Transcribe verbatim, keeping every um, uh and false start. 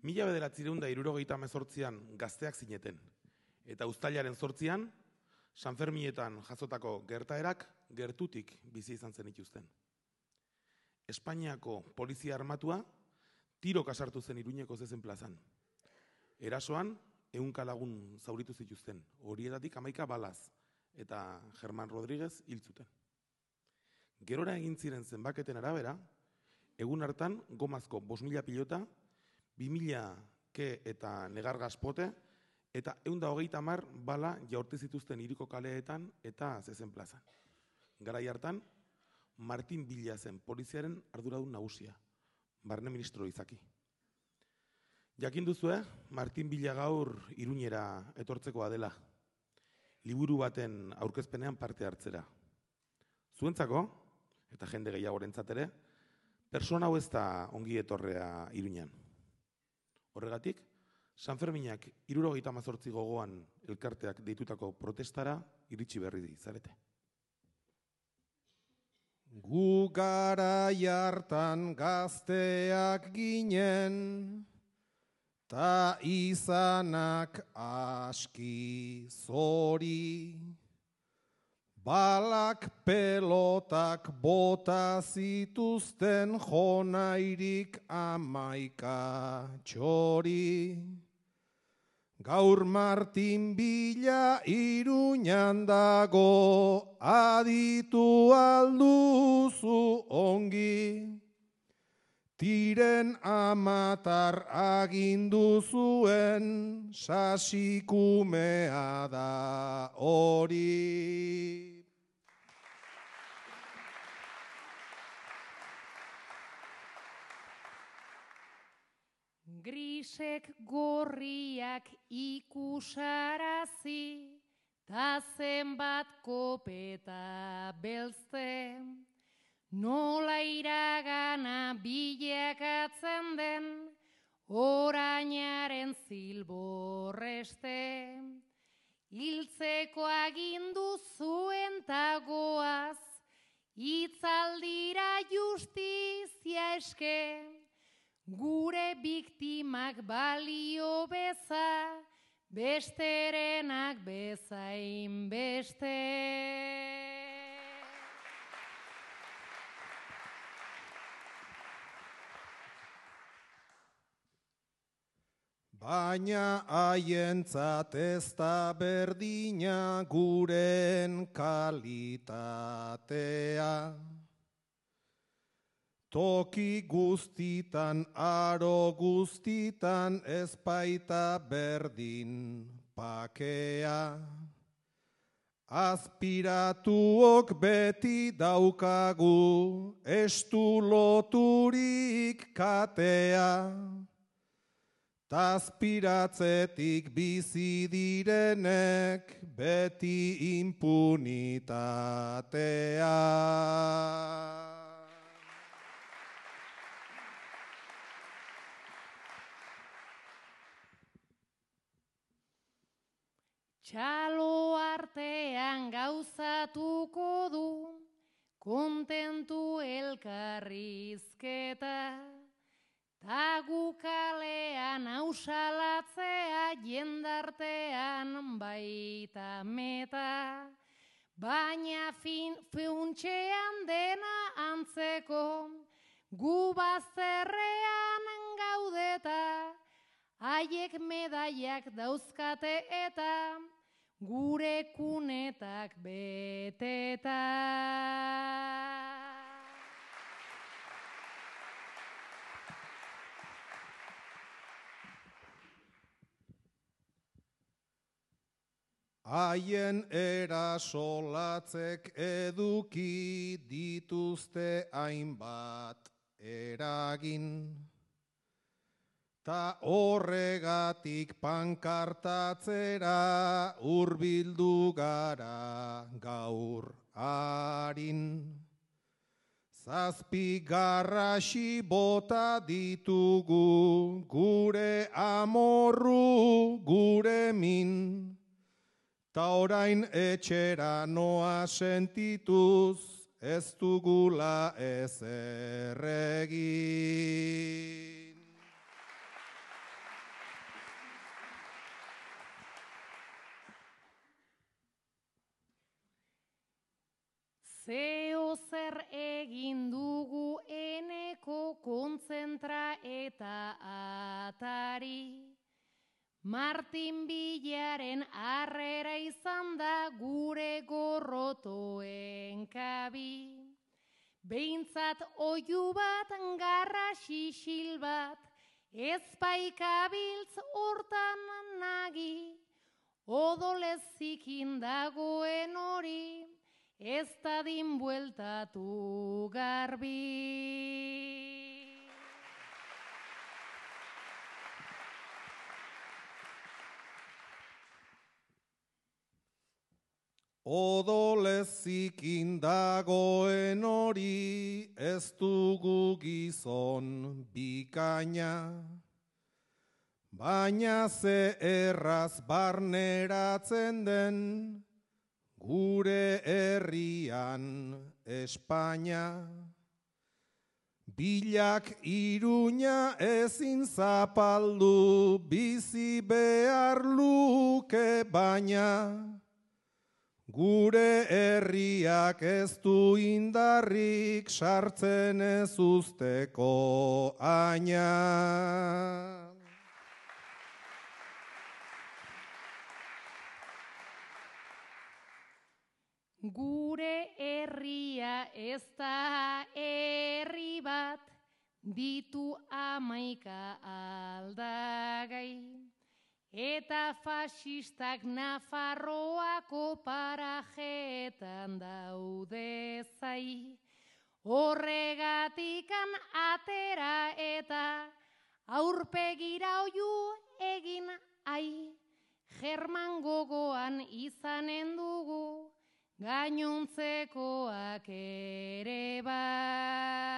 Mila bederatziehun eta hirurogeita hemezortzian gazteak zineten, eta uztailaren zortzian, San Ferminetan jasotako gertaerak gertutik bizi izan zen ituzten. Espainiako polizia armatua tiro kasartu zen Iruñeko zezen plazan. Erasoan, ehunka lagun zauritu zituzten, horietatik hamaika balaz, eta Germán Rodríguez hil zuten. Gerora egin ziren zenbaketen arabera, egun hartan gomazko bost mila pilota, bi mila ke eta negar gaspote, eta ehun eta hogeita hamar bala jaurti zituzten hiriko kaleetan eta zezen plazan. Garai hartan, Martin Villa zen poliziaren arduradun nagusia, barne ministro izaki. Jakin duzue, Martin Villa gaur Iruñera etortzekoa dela, liburu baten aurkezpenean parte hartzera. Zuentzako, eta jende gehiagorentzat ere, persona hau ez da ongi etorrea Iruñan. Horregatik, San Ferminak hirurogeita hemezortzi gogoan elkarteak deitutako protestara iritsi berri zarete. Gu garai hartan gazteak ginen, ta izanak aski zori, balak pelotak bota zituzten jonairik amaika txori. Gaur Martin Villa Iruñan dago, aditu alduzu ongi. Tiren amatar agindu zuen, sasikumea da hori. Grisek gorriak ikusarazi, ta zenbat kopeta belzte, nola iragana bilakatzen den, orainaren zilborreste. Hiltzeko agindu zuen tagoaz, itzaldira justizia eske, gure biktimak balio beza, besterenak bezain beste. Baina haientzat ez da berdina guren kalitatea. Toki guztitan, aro guztitan, ez baita berdin pakea. Aspiratuok beti daukagu, estu loturik katea. Aspiratzetik bizi direnek, beti impunitatea. Txalo artean gauzatuko du, kontentu elkarrizketa, ta gu kalean ausalatzea jendartean baita meta, baina fin, funtxean dena antzeko, gu bazterrean gaudeta, haiek medaiak dauzkate eta gure kunetak beteta. Haien erasolatzek eduki dituzte hainbat eragin. Ta horregatik pankartatzera hurbildu gara gaur harin. Zazpi garrasi bota ditugu gure amorru gure min. Ta orain etxera noa sentituz ez dugula ezer egin. Zeo zer egin dugu eneko kontzentra eta atari. Martin Bilaren harrera izan da gure gorrotoen kabi. Behintzat oiu bat, garra xixil bat, ezpaikabiltz hortan nagi. Odolezikin dagoen hori, ez dadin bueltatu garbi. Odolezikin dagoen hori, ez dugu gizon bikaina. Baina ze erraz barneratzen den, gure herrian Espainia. Bilak Iruña ezin zapaldu, bizi behar luke baina. Gure herriak ez du indarrik sartzen ez usteko aina. Gure herria ez da herri bat, ditu hamaika aldagai. Eta fasistak Nafarroako parajeetan daude zai. Horregatikan atera eta aurpegira oiu egin ai. German gogoan izanen dugu, gainontzekoak ere bai.